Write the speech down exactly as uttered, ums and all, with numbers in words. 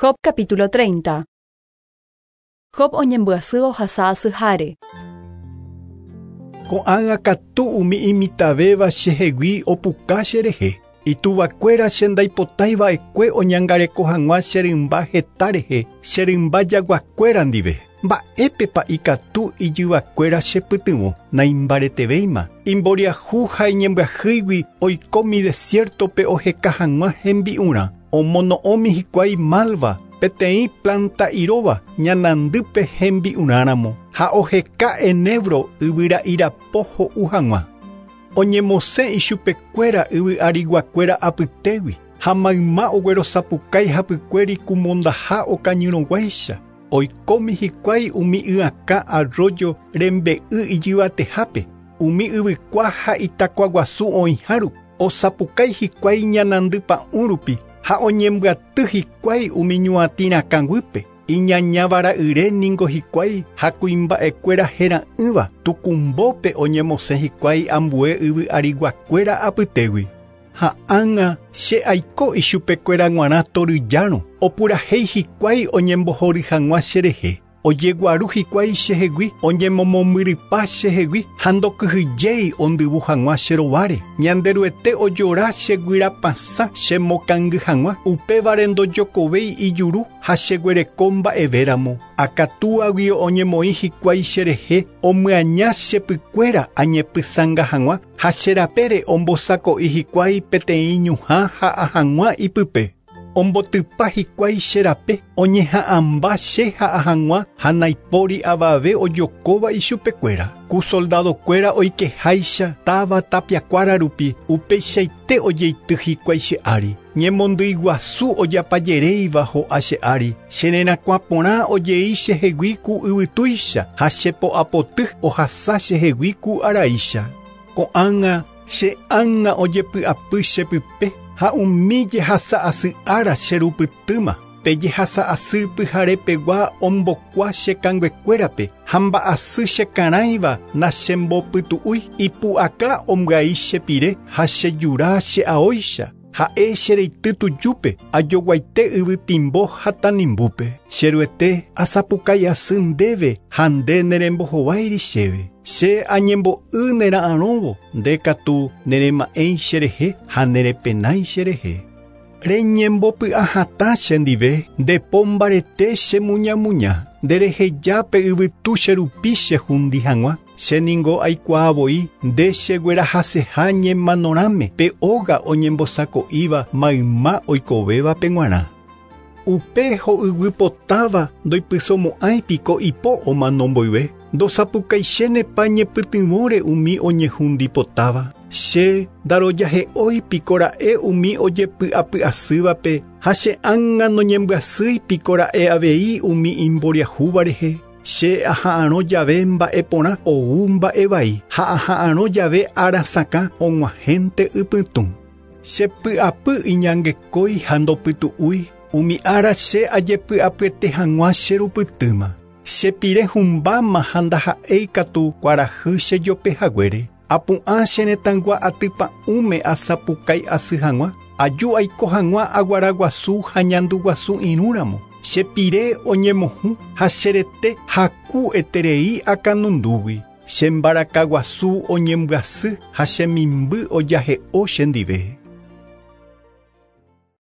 Job capítulo treinta. Job oñembyasy ohasa asyháre. Ko'ág̃a katu umi imitavéva chehegui opuka cherehe. Ituvakuéra che ndaipotaiva'ekue oñangareko hag̃ua che rymba heta rehe, che rymba jaguakuéra ndive. Mba'épepa ikatu ijyvakuéra chepytyvõ, naimbaretevéima. Imboriahu ha iñembyahýigui oikómi desiertope oheka hag̃ua hembi'urã. Omono'õmi hikuái malva, peteĩ planta iróva ñanandýpe hembi'urãramo ha oheka enebro yvyra'irapo ho'u hag̃ua. Oñemosẽ ichupekuéra yvy'ariguakuéra apytégui ha mayma oguerosapukái hapykuéri kumondaha okañyrõguáicha. Oikómi hikuái umi y'akã arroyo rembe'y ijyvatehápe, umi yvykua ha itakuaguasu oĩhárupi. Osapukái hikuái ñanandypa'ũ rupi ha oñembyaty hikuái umi ñuatĩrakãguýpe. Iñañavara'yre ningo hikuái ha kuimba'ekuéra hera'ỹva tukumbópe oñemosẽ hikuái ambue yvy'ariguakuéra apytégui. Ha ág̃a che aiko ichupekuéra g̃uarã toryjárõ, opurahéi hikuái oñembohory hag̃ua cherehe. Ojeguaru hikuái chehegui, oñemomombyrypa chehegui ha ndokyhyjéi ondyvu hag̃ua che rováre. Ñanderuete ojora cheguyrapasã chemokangy hag̃ua, upévare ndojokovéi ijuru ha cheguereko mba'evéramo. Akatúagui oñemoĩ hikuái cherehe, omyaña chepykuéra añepysãnga hag̃ua ha cherapére ombosako'i hikuái peteĩ ñuhã ha'a hag̃ua ipype. Ombotypa hikuái cherape, oñeha'ãmba che ha'a hag̃ua ha naipóri avave ojokóva ichupekuéra. Ku soldadokuéra oikeháicha táva tapiakuára rupi, upeichaite ojeity hikuái che ári. Ñemondýiguasu ojapajeréiva ho'a che ári, chererakuã porã ojei chehegui ku yvytúicha ha chepo'apoty ohasa chehegui ku araícha. Ko'ág̃a che ág̃a ojepy'apy chepype ha umi jehasa asy ára cherupytýma. Pe jehasa asy pyharepegua ombokua che kanguekuérape ha mba'asy chekarãiva nachembopytu'úi. Ipu'aka ombyai chepire ha chejura che'aóicha. Ha'e chereity tujúpe ajoguaite yvytimbo ha tanimbúpe. Cheruete asapukái asy ndéve ha nde nerembohováiri chéve. Che añembo'y nera'arõvo, nde katu nerema'ẽi cherehe ha nerepenái cherehe. Reñembopy'ahatã chendive, ndepo mbarete chemuñamuña. Nderehejápe yvytu cherupi chehundi hag̃ua. Che ningo aikuaavoi nde cheguerahaseha ñemanorãme pe óga oñembosako'íva mayma oikovévape g̃uarã. Upe ho'yguipotáva ndoipysomo'ãipiko ipo omano mboyve. Ndosapukaichénepa ñepytyvõre umi oñehundipotáva. Che ndarojahe'óipiko ra'e umi ojepy'apy'asývape ha che ág̃a noñembyasýipiko ra'e avei umi imboriahúva rehe. Che aha'arõ jave mba'e porã ou mba'e vai ha aha'arõ jave arasakã og̃uahẽnte ypytũ. Chepy'apy iñangekói ha ndopytu'úi, umi ára che ajepy'apyete hag̃ua cherupytýma. Chepire humbáma ha ndaha'éi katu kuarahy chejopehaguére. Apu'ã che retãygua atypa'ũme asapukái asy hag̃ua, aju aiko hag̃ua aguaraguasu ha ñanduguasu irũramo. Chepire oñemohũ ha cherete haku eterei akanundúgui. Chembarakaguasu oñembyasy ha chemimby ojahe'o chendive.